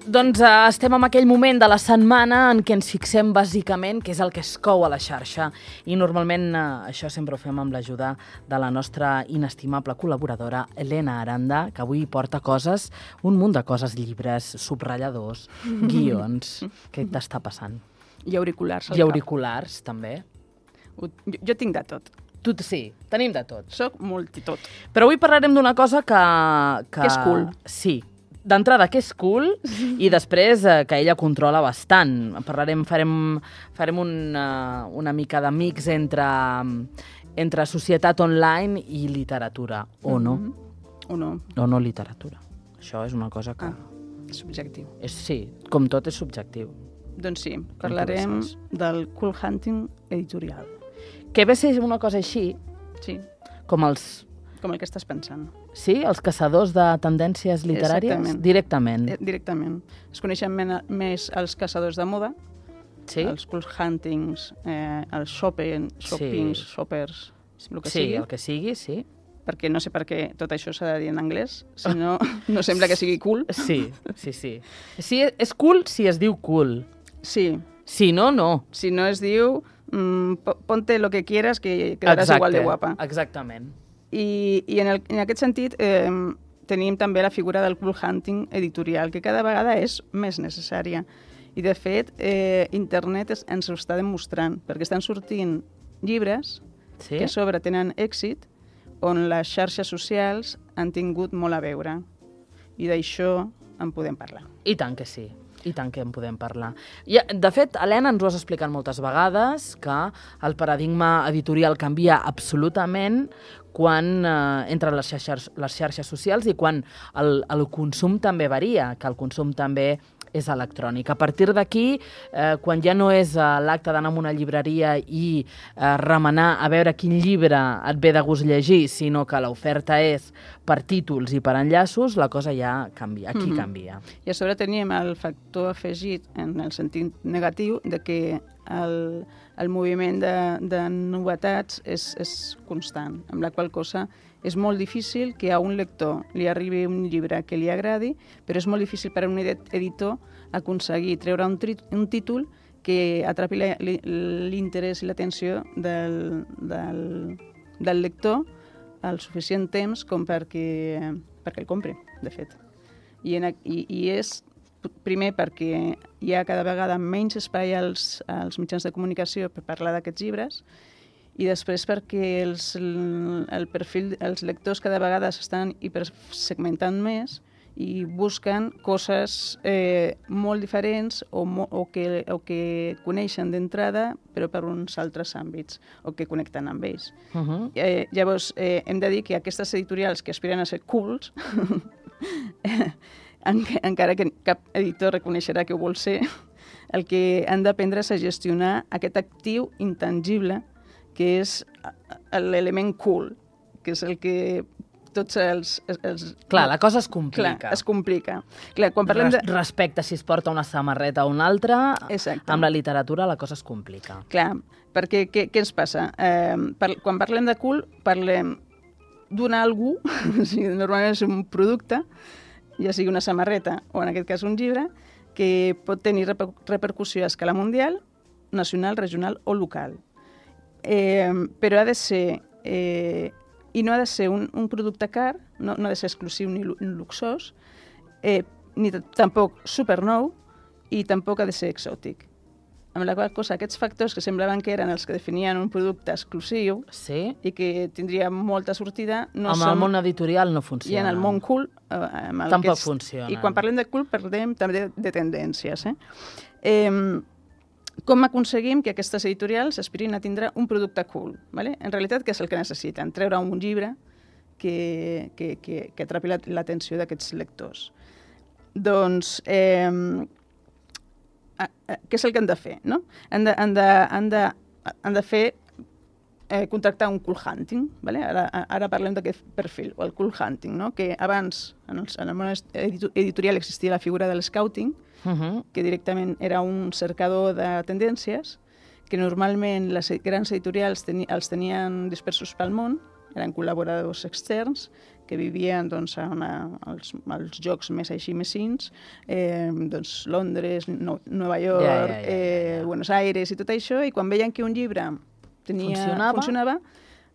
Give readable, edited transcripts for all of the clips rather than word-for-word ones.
Doncs estem en aquell moment de la setmana en què ens fixem bàsicament què és el que es cou a la xarxa i normalment això sempre ho fem amb l'ajuda de la nostra inestimable col·laboradora Elena Aranda, que avui porta coses, un munt de coses, llibres, subratlladors, guions. Què t'està passant? I auriculars. I auriculars, també. Jo tinc de tot. Tu sí, tenim de tot. Soc multitot. Però avui parlarem d'una cosa que... Que és cool. Sí. D'entrada, que és cool, i després que ella controla bastant. Farem una mica de mix entre societat online i literatura, o no? O no. O no literatura. Això és una cosa que... És subjectiu. Sí, com tot és subjectiu. Doncs sí, parlarem del Cool Hunting editorial. Que ve a ser una cosa així, sí, com els... Com el que estàs pensant. Sí? Els caçadors de tendències literàries? Exactament. Directament. Directament. Es coneixen més els caçadors de moda, sí? Els cool huntings, els shoppings, shoppers, el que sigui. Sí, el que sigui, sí. Perquè no sé per què tot això s'ha de dir en anglès, si no, no sembla que sigui cool. Sí. Sí, és cool si es diu cool. Sí. Si no, no. Si no es diu, ponte lo que quieras que quedaràs igual de guapa. Exactament. I en aquest sentit tenim també la figura del cool hunting editorial, que cada vegada és més necessària. I, de fet, internet ens ho està demostrant, perquè estan sortint llibres que a sobre tenen èxit, on les xarxes socials han tingut molt a veure. I d'això en podem parlar. I tant que sí. I tant que en podem parlar. De fet, Helena, ens ho has explicat moltes vegades, que el paradigma editorial canvia absolutament quan entren les xarxes socials i quan el consum també varia, que el consum també és electrònic. A partir d'aquí, quan ja no és l'acte d'anar a una llibreria i remenar a veure quin llibre et ve de gust llegir, sinó que l'oferta és per títols i per enllaços, la cosa ja canvia. Aquí canvia. I a sobre tenim el factor afegit en el sentit negatiu de que el moviment de novetats és constant, amb la qual cosa és molt difícil que a un lector li arribi un llibre que li agradi, però és molt difícil per a un editor aconseguir treure un títol que atrapi l'interès i l'atenció del lector al suficient temps com perquè el compri, de fet. I és primer perquè hi ha cada vegada menys espai als mitjans de comunicació per parlar d'aquests llibres, i després perquè els lectors cada vegada s'estan hipersegmentant més i busquen coses molt diferents o que coneixen d'entrada però per uns altres àmbits o que connecten amb ells. Llavors, hem de dir que aquestes editorials que aspiren a ser cools, encara que cap editor reconeixerà que ho vol ser, el que han d'aprendre és a gestionar aquest actiu intangible que és l'element cool, que és el que tots els... Clar, la cosa es complica. Clar, es complica. Clar, quan parlem respecte si es porta una samarreta o una altra, exacte, amb la literatura la cosa es complica. Clar, perquè què ens passa? Quan parlem de cool, parlem d'un algú, normalment és un producte, ja sigui una samarreta o en aquest cas un llibre, que pot tenir repercussió a escala mundial, nacional, regional o local. Però ha de ser, i no ha de ser un producte car, no ha de ser exclusiu ni luxós, ni tampoc supernou, i tampoc ha de ser exòtic. Amb la qual cosa, aquests factors que semblaven que eren els que definien un producte exclusiu i que tindria molta sortida... Amb el món editorial no funciona. I en el món cool... Tampoc funciona. I quan parlem de cool parlem també de tendències. Com aconseguim que aquestes editorials aspirin a tindre un producte cool? En realitat, què és el que necessiten? Treure un llibre que atrapi l'atenció d'aquests lectors. Doncs... què és el que han de fer? Han de fer contractar un cool hunting. Ara parlem d'aquest perfil, o el cool hunting, que abans en el món editorial existia la figura de l'scouting, que directament era un cercador de tendències, que normalment les grans editorials els tenien dispersos pel món eren col·laboradors externs que vivien doncs, als llocs més així mesins, doncs, Londres, Nova York, Buenos Aires i tot això, i quan veien que un llibre funcionava,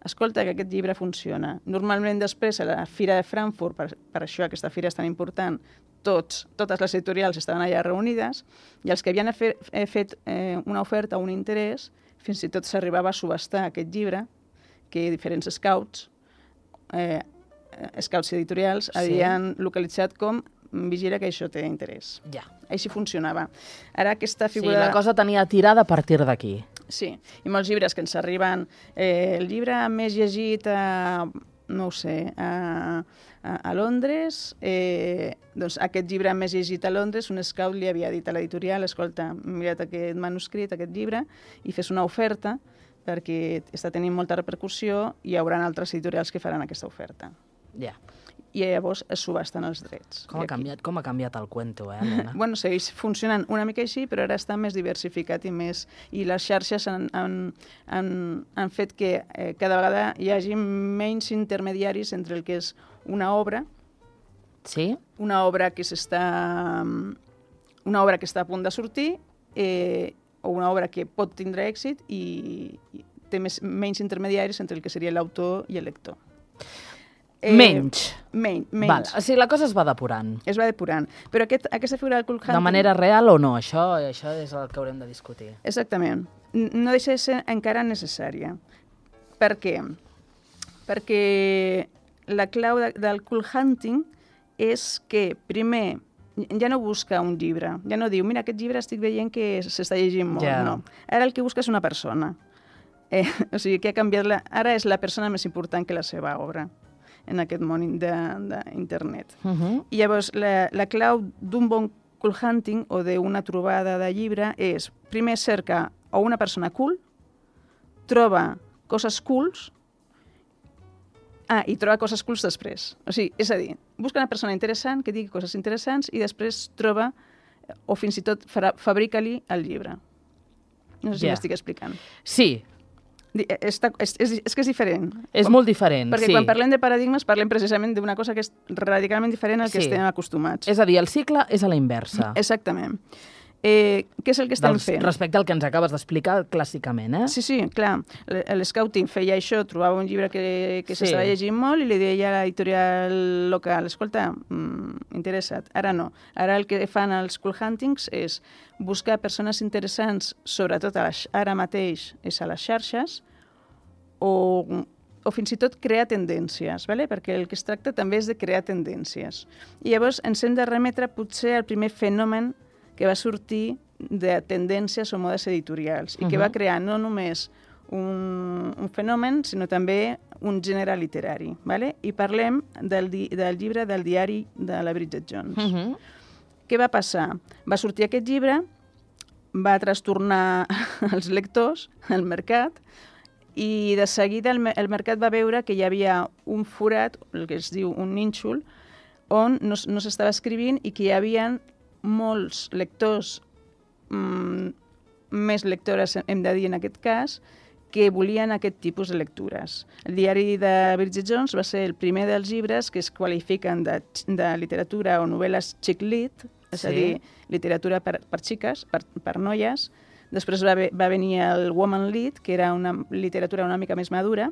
escolta, que aquest llibre funciona. Normalment després, a la Fira de Frankfurt, per això aquesta fira és tan important, totes les editorials estaven allà reunides, i els que havien fet una oferta o un interès, fins i tot s'arribava a subhastar aquest llibre, que diferents scouts editorials havien localitzat com vigila que això té interès. Ja. Així funcionava. Ara aquesta figura... Sí, la cosa tenia tirada a partir d'aquí. Sí, i molts llibres que ens arriben. El llibre més llegit no ho sé, a Londres, doncs aquest llibre més llegit a Londres, un scout li havia dit a l'editorial, escolta, mira't aquest manuscrit, aquest llibre, i fes una oferta, perquè està tenint molta repercussió i hi haurà altres editorials que faran aquesta oferta. Ja. I llavors es subhasten els drets. Com ha canviat el cuento, Helena? Bueno, segueix funcionant una mica així, però ara està més diversificat i les xarxes han fet que cada vegada hi hagi menys intermediaris entre el que és una obra, una obra que està a punt de sortir, o una obra que pot tindre èxit i té menys intermediaris entre el que seria l'autor i el lector. Menys. Menys. O sigui, la cosa es va depurant. Es va depurant. Però aquesta figura del cult hunting... De manera real o no? Això és el que haurem de discutir. Exactament. No deixa de ser encara necessària. Per què? Perquè la clau del cult hunting és que, primer, ja no busca un llibre. Ja no diu, mira, aquest llibre estic veient que s'està llegint molt. No. Ara el que busca és una persona. O sigui, que ha canviat... Ara és la persona més important que la seva obra en aquest món d'internet. I llavors, la clau d'un bon cult hunting o d'una trobada de llibre és, primer cerca o una persona cool, troba coses cools, i troba coses cools després. O sigui, és a dir, busca una persona interessant que digui coses interessants i després troba, o fins i tot fabrica-li el llibre. No sé si m'estic explicant. Sí. És que és diferent. És molt diferent, perquè quan parlem de paradigmes parlem precisament d'una cosa que és radicalment diferent al que estem acostumats. És a dir, el cicle és a la inversa. Exactament. Què és el que estem fent? Respecte al que ens acabes d'explicar clàssicament, eh? Sí, clar. L'Scouting feia això, trobava un llibre que s'estava llegint molt i li deia a l'editorial local, escolta, interessa't. Ara no. Ara el que fan els cult huntings és buscar persones interessants, sobretot ara mateix és a les xarxes, o fins i tot crear tendències, perquè el que es tracta també és de crear tendències. I llavors ens hem de remetre potser al primer fenomen que va sortir de tendències o modes editorials i que va crear no només un fenomen, sinó també un gènere literari. I parlem del llibre del diari de la Bridget Jones. Què va passar? Va sortir aquest llibre, va trastornar els lectors, el mercat, i de seguida el mercat va veure que hi havia un forat, el que es diu un nínxol, on no s'estava escrivint i que hi havia molts lectors, més lectores hem de dir en aquest cas, que volien aquest tipus de lectures. El diari de Bridget Jones va ser el primer dels llibres que es qualifiquen de literatura o novel·les chick lit, és a dir, literatura per xiques, per noies. Després va venir el woman lit, que era una literatura una mica més madura,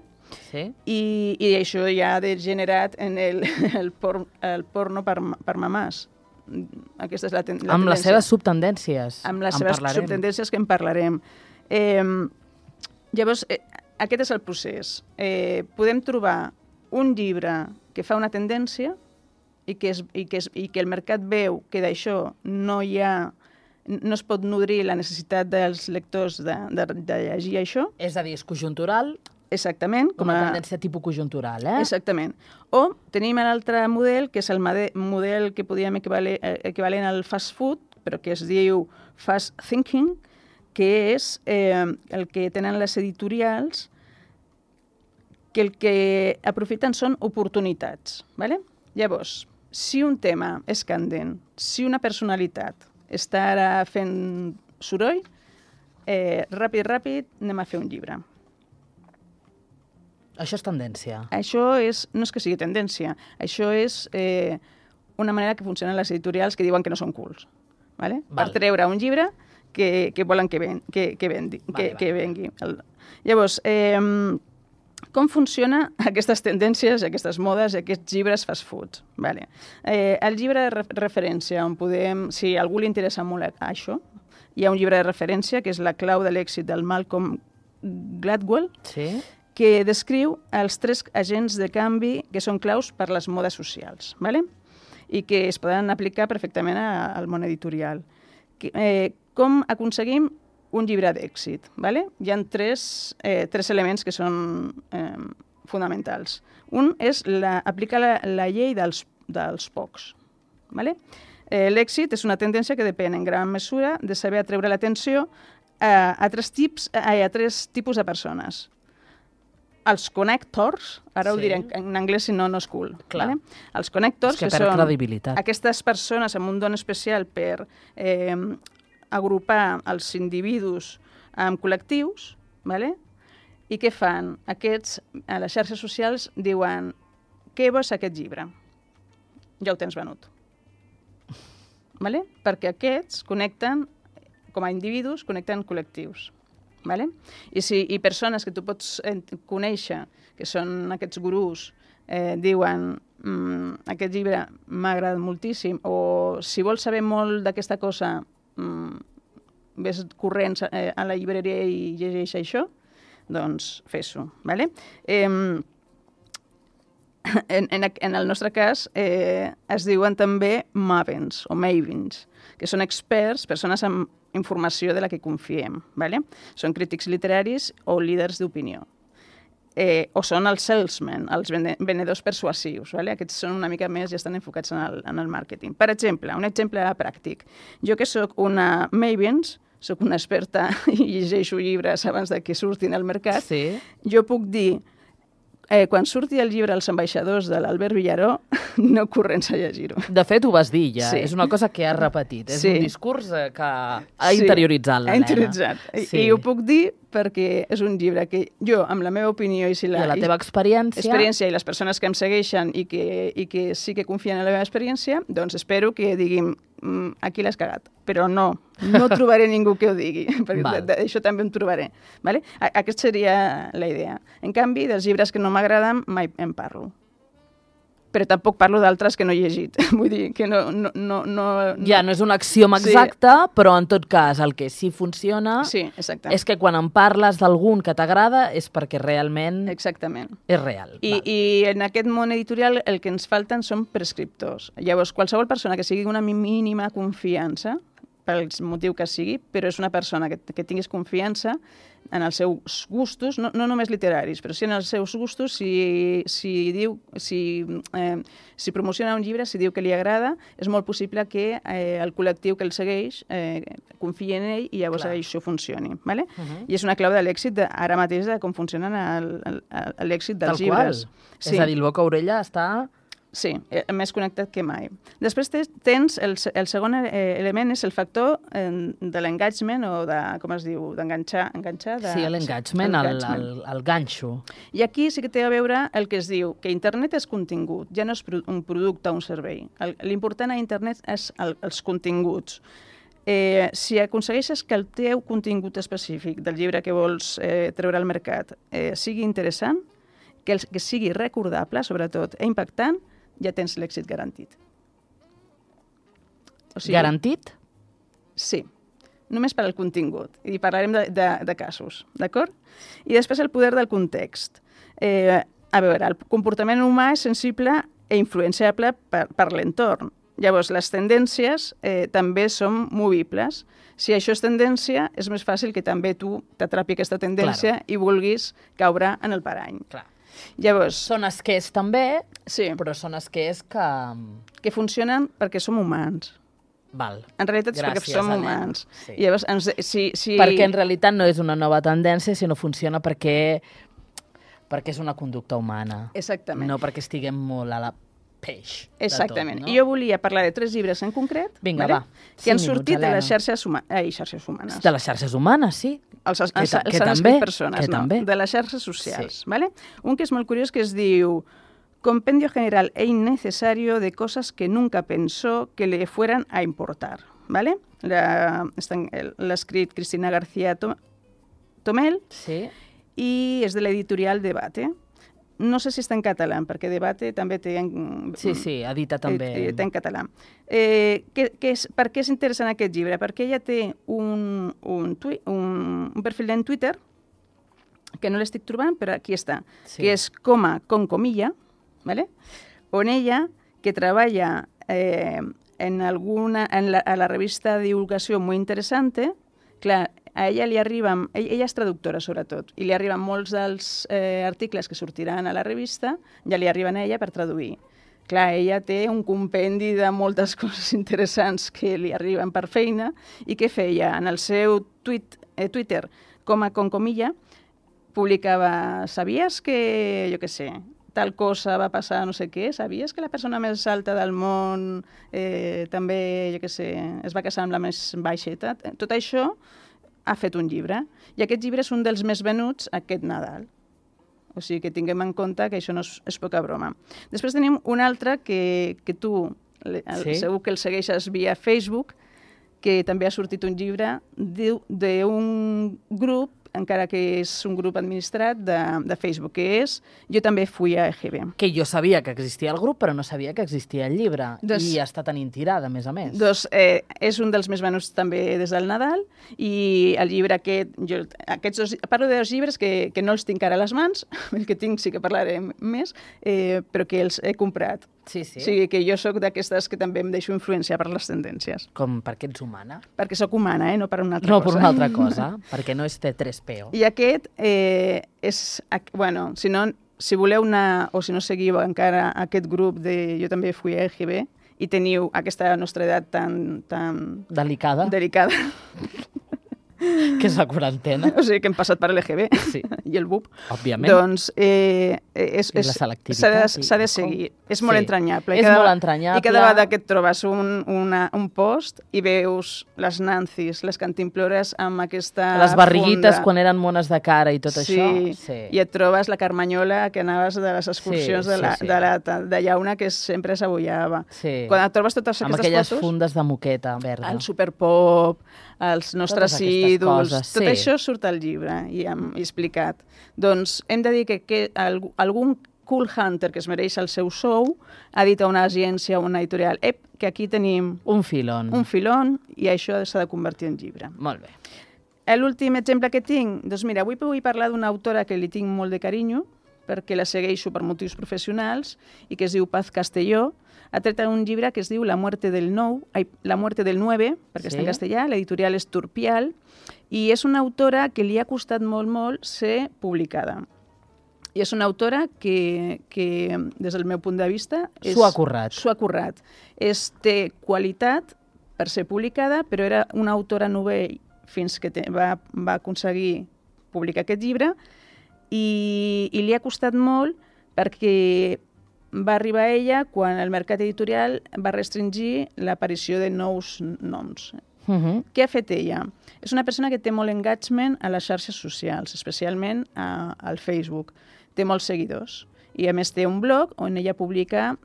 i això ja ha degenerat en el porno per mamàs. Aquesta és la tendència. Amb les seves subtendències. Amb les seves subtendències que en parlarem. Llavors, aquest és el procés. Podem trobar un llibre que fa una tendència i que el mercat veu que d'això no es pot nodrir la necessitat dels lectors de llegir això. És a dir, és conjuntural. Exactament. Com a tendència tipus conjuntural, eh? Exactament. O tenim l'altre model, que és el model que podríem equivalent al fast food, però que es diu fast thinking, que és el que tenen les editorials, que el que aprofiten són oportunitats. Llavors, si un tema és candent, si una personalitat està ara fent soroll, ràpid, anem a fer un llibre. Això és tendència. Això no és que sigui tendència, això és una manera que funcionen les editorials que diuen que no són cools, ¿vale? Per treure un llibre que volen que vengui. Llavors, com funcionen aquestes tendències, aquestes modes, aquests llibres fast food? Vale. El llibre de referència, on podem, si a algú li interessa molt això, hi ha un llibre de referència que és La clau de l'èxit del Malcolm Gladwell, que descriu els 3 agents de canvi que són claus per les modes socials, ¿vale? I que es poden aplicar perfectament al món editorial. Com aconseguim un llibre d'èxit? ¿Vale? Hi ha tres elements que són fonamentals. Un és aplicar la llei dels pocs. ¿Vale? L'èxit és una tendència que depèn en gran mesura de saber atreure l'atenció a 3 tipus de persones. Els connectors, ara ho diré en anglès si no és cool. Vale? Els connectors, que són aquestes persones amb un don especial per agrupar els individus en col·lectius, vale? I què fan? Aquests, a les xarxes socials, diuen què vols aquest llibre? Ja ho tens venut. Vale? Perquè aquests connecten, com a individus, connecten col·lectius. Vale? I persones que tu pots conèixer, que són aquests gurús, diuen aquest llibre m'ha agradat moltíssim, o si vols saber molt d'aquesta cosa, ves corrents a la llibreria i llegeix això, doncs fes-ho. Vale? En el nostre cas es diuen també mavens o mavens, que són experts, persones amb informació de la que confiem. Vale? Són crítics literaris o líders d'opinió. O són els salesmen, els venedors persuasius. Vale? Aquests són una mica més i estan enfocats en el màrqueting. Per exemple, un exemple pràctic. Jo que sóc una Mavens, sóc una experta i llegeixo llibres abans de que surtin al mercat, jo puc dir quan surti el llibre Els ambaixadors de l'Albert Villaró, no corrents a llegir-ho. De fet, ho vas dir ja. És una cosa que has repetit. És un discurs que ha interioritzat l'Helena. Ha interioritzat. I ho puc dir perquè és un llibre que jo, amb la meva opinió i la teva experiència i les persones que em segueixen i que sí que confien en la meva experiència, doncs espero que diguin aquí l'has cagat. Però no trobaré ningú que ho digui, perquè d'això també em trobaré. Vale? Aquesta seria la idea. En canvi, dels llibres que no m'agraden, mai en parlo. Però tampoc parlo d'altres que no he llegit. Vull dir que no... Ja, no és un axioma exacte, però en tot cas el que sí funciona és que quan en parles d'algun que t'agrada és perquè realment és real. I en aquest món editorial el que ens falten són prescriptors. Llavors, qualsevol persona que sigui una mínima confiança, pel motiu que sigui, però és una persona que tinguis confiança en els seus gustos, no només literaris, però sí en els seus gustos, si promociona un llibre, si diu que li agrada, és molt possible que el col·lectiu que el segueix confiï en ell i llavors això funcioni. Vale? I és una clau de l'èxit ara mateix de com funciona l'èxit dels llibres. És a dir, el boca-orella està... Sí, més connectat que mai. Després tens el segon element és el factor de l'engagement o de, com es diu, d'enganxar. Sí, l'engagement, el ganxo. I aquí sí que té a veure el que es diu que internet és contingut, ja no és un producte o un servei. L'important a internet és els continguts. Si aconsegueixes que el teu contingut específic del llibre que vols treure al mercat sigui interessant, que sigui recordable, sobretot, i impactant, ja tens l'èxit garantit. Garantit? Sí, només per al contingut. I parlarem de casos, d'acord? I després el poder del context. A veure, el comportament humà és sensible i influenciable per l'entorn. Llavors, les tendències també són movibles. Si això és tendència, és més fàcil que també tu t'atrapi aquesta tendència i vulguis caure en el parany. Clar. Llavors, són esquers també, però són esquers que funcionen perquè som humans. Val. En realitat és perquè som humans. Sí. Llavors, perquè en realitat no és una nova tendència, sinó funciona perquè és una conducta humana. Exactament. No perquè estiguem molt a la peix. Exactament. De tot, no? I jo volia parlar de 3 llibres en concret Vinga, vale? va. Que han 5 sortit minuts, de les Helena. xarxes humanes. De les xarxes humanes, sí. S'han que escrit també, persones, que no? també. De les xarxes socials. Sí. ¿Vale? Un que és molt curiós que es diu Compendio general e innecesario de cosas que nunca pensó que le fueran a importar. ¿Vale? L'ha escrit Cristina García Tomel Sí. i és de l'editorial Debate. No sé si està en català, perquè Debate també té... Sí, edita també. Té en català. Per què és interessant aquest llibre? Perquè ella té un perfil en Twitter, que no l'estic trobant, però aquí està, Sí. que és con comilla, ¿vale? On ella, que treballa a la revista de divulgació molt interessant, clar, a ella li arriben, ella és traductora sobretot, i li arriben molts dels articles que sortiran a la revista, ja li arriben a ella per traduir. Clar, ella té un compendi de moltes coses interessants que li arriben per feina i què feia? En el seu Twitter, con comilla, publicava, sabies que, jo què sé, tal cosa va passar no sé què, sabies que la persona més alta del món també, jo què sé, es va casar amb la més baixeta? Tot això ha fet un llibre, i aquest llibre és un dels més venuts aquest Nadal. O sigui que tinguem en compte que això no és poca broma. Després tenim un altre que tu segur que el segueixes via Facebook, que també ha sortit un llibre d'un grup, encara que és un grup administrat de Facebook, que és Jo també fui a EGB. Que jo sabia que existia el grup, però no sabia que existia el llibre. I està tenint tirada, a més a més. Doncs és un dels més venuts també des del Nadal, i el llibre aquest, parlo de 2 llibres que no els tinc ara a les mans, el que tinc sí que parlaré més, però que els he comprat. Sí, sí. O sigui que jo sóc d'aquestes que també em deixo influenciar per les tendències. Com perquè ets humana? Perquè sóc humana, no per una altra cosa. No, per una altra cosa, perquè no és T3PO. I aquest és... Bueno, si voleu anar, o si no seguiu encara aquest grup de Jo també fui a EGB i teniu aquesta nostra edat tan... Delicada. Que és la quarantena. O sigui que hem passat per l'EGB i el BUP. Òbviament. Doncs la selectivitat. s'ha de seguir. És molt entranyable. És molt entranyable. I cada vegada que et trobes un post i veus les Nancis, les cantimplores amb aquesta les barriguites funda. Quan eren mones de cara i tot això. Sí, i et trobes la Carmanyola que anaves de les excursions de llauna que sempre s'abollava. Sí. Quan et trobes totes amb aquestes aquelles fotos... fundes de moqueta verda. El Superpop, els nostres ídols, tot això surt al llibre i explicat. Doncs hem de dir que algun cool hunter que es mereix el seu sou ha dit a una agència o una editorial que aquí tenim un filon i això s'ha de convertir en llibre. Molt bé. L'últim exemple que tinc, doncs mira, avui vull parlar d'una autora que li tinc molt de carinyo perquè la segueixo per motius professionals i que es diu Paz Castelló. Ha tret un llibre que es diu La muerte del 9, perquè està en castellà, l'editorial és Turpial, i és una autora que li ha costat molt ser publicada. I és una autora que des del meu punt de vista... S'ho ha currat. S'ho ha currat. Té qualitat per ser publicada, però era una autora novell fins que va aconseguir publicar aquest llibre, i li ha costat molt perquè va arribar a ella quan el mercat editorial va restringir l'aparició de nous noms. Què ha fet ella? És una persona que té molt engagement a les xarxes socials, especialment al Facebook. Té molts seguidors i a més té un blog on ella publica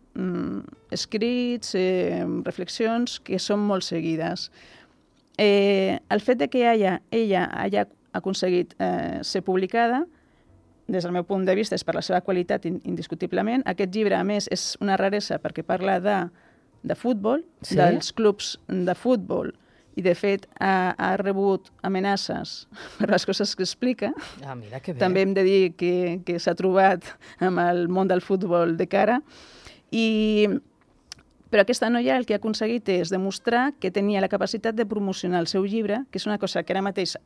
escrits, reflexions que són molt seguides. El fet de que ella hagi aconseguit ser publicada, des del meu punt de vista, és per la seva qualitat indiscutiblement. Aquest llibre, a més, és una raresa perquè parla de futbol, dels clubs de futbol, i de fet ha rebut amenaces per les coses que explica. Mira que bé. També hem de dir que s'ha trobat amb el món del futbol de cara. Però aquesta noia el que ha aconseguit és demostrar que tenia la capacitat de promocionar el seu llibre, que és una cosa que ara mateix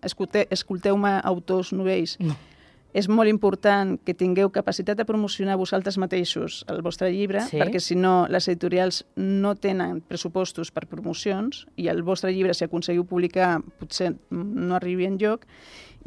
escolteu-me autors novells. No. És molt important que tingueu capacitat de promocionar vosaltres mateixos el vostre llibre, perquè si no les editorials no tenen pressupostos per promocions i el vostre llibre, si aconseguiu publicar, potser no arribi enlloc.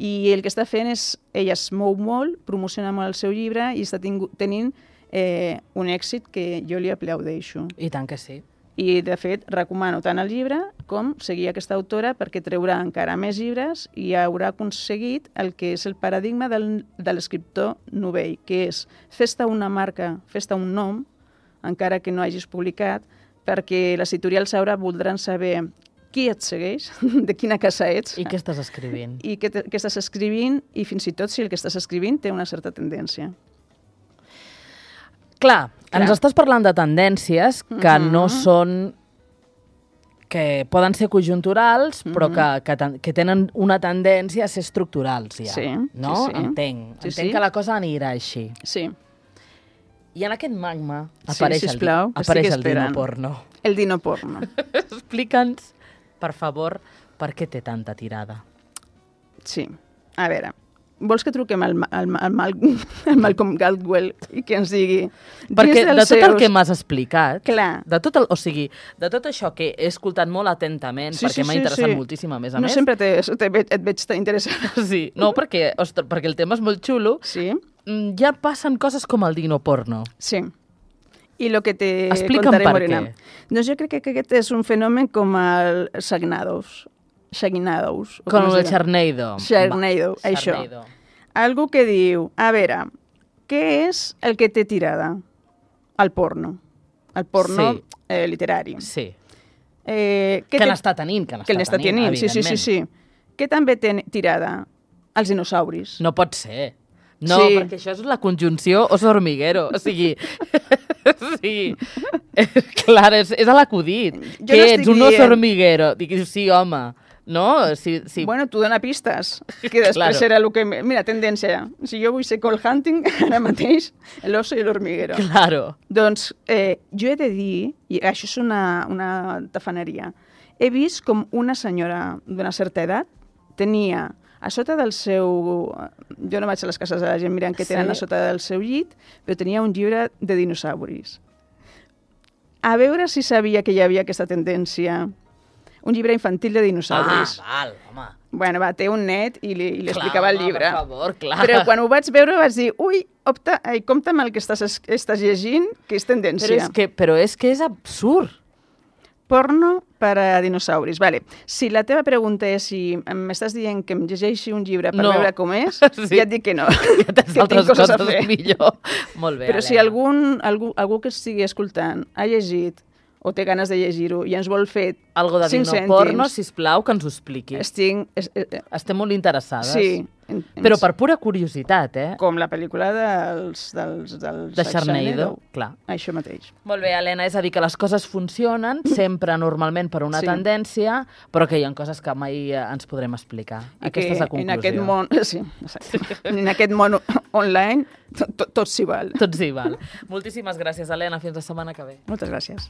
I el que està fent és, ella es mou molt, promociona molt el seu llibre i està tenint un èxit que jo li aplaudeixo. I tant que sí. I, de fet, recomano tant el llibre com seguir aquesta autora perquè treurà encara més llibres i haurà aconseguit el que és el paradigma de l'escriptor novell, que és fes-te una marca, fes-te un nom, encara que no hagis publicat, perquè les editorials ara voldran saber qui et segueix, de quina casa ets. I què estàs escrivint. I què estàs escrivint, i fins i tot si el que estàs escrivint té una certa tendència. Clar, ens estàs parlant de tendències que no són... que poden ser conjunturals, però que tenen una tendència a ser estructurals, ja. Sí, no? sí. Entenc que la cosa anirà així. Sí. I en aquest magma apareix sisplau, el dino porno. El dino porno. Explica'ns, per favor, per què té tanta tirada. Sí. A veure, vols que truquem al Malcolm Gladwell i que ens digui... Perquè de tot el que m'has explicat, clar. de tot això que he escoltat molt atentament, perquè m'ha interessat moltíssim, a més a més... No sempre et veig tan interessada. Sí, no, perquè el tema és molt xulo. Sí. Ja passen coses com el dino porno. Sí. I el que te Explica'm contaré, per Morena. què. Doncs jo crec que aquest és un fenomen com el Shagnados. Com el Sharknado. Sharknado, això. Algú que diu, a veure, què és el que té tirada? El porno. El porno literari. Sí. Que n'està tenint, evidentment. Sí. Què també té tirada? Els dinosauris. No pot ser. No, perquè això és la conjunció oso hormiguero. O sigui, clar, és a l'acudit. Què ets, un oso hormiguero? Dic, sí, home. No? Sí. Bueno, tu dona pistes, que després serà el que... Mira, tendència, si jo vull ser call hunting, ara mateix, l'oso i l'hormiguero. Claro. Doncs jo he de dir, i això és una tafaneria, he vist com una senyora d'una certa edat tenia a sota del seu... Jo no vaig a les cases de la gent mirant què tenen a sota del seu llit, però tenia un llibre de dinosauris. A veure si sabia que hi havia aquesta tendència. Un llibre infantil de dinosauris. Val, home. Bueno, té un net i li explicava el llibre. Per favor, clar. Però quan ho vaig veure vaig dir, ui, compta amb el que estàs llegint, que és tendència. Però és que és absurd. Porno per a dinosauris. Vale. Si la teva pregunta és si m'estàs dient que em llegeixi un llibre per veure com és, ja et dic que no. Que tens altres coses a fer. Millor. Molt bé, però si algú que estigui escoltant ha llegit o té ganes de llegir-ho i ens vol fer algo de dinoporno, sisplau, que ens ho expliqui. Estem molt interessades. Sí. Però per pura curiositat, Com la pel·lícula de Sharknado, clar. Això mateix. Molt bé, Helena, és a dir, que les coses funcionen sempre normalment per una tendència, però que hi ha coses que mai ens podrem explicar. Aquesta és la conclusió. En aquest món, en aquest món online tot s'hi val. Tot s'hi val. Moltíssimes gràcies, Helena. Fins la setmana que ve. Moltes gràcies.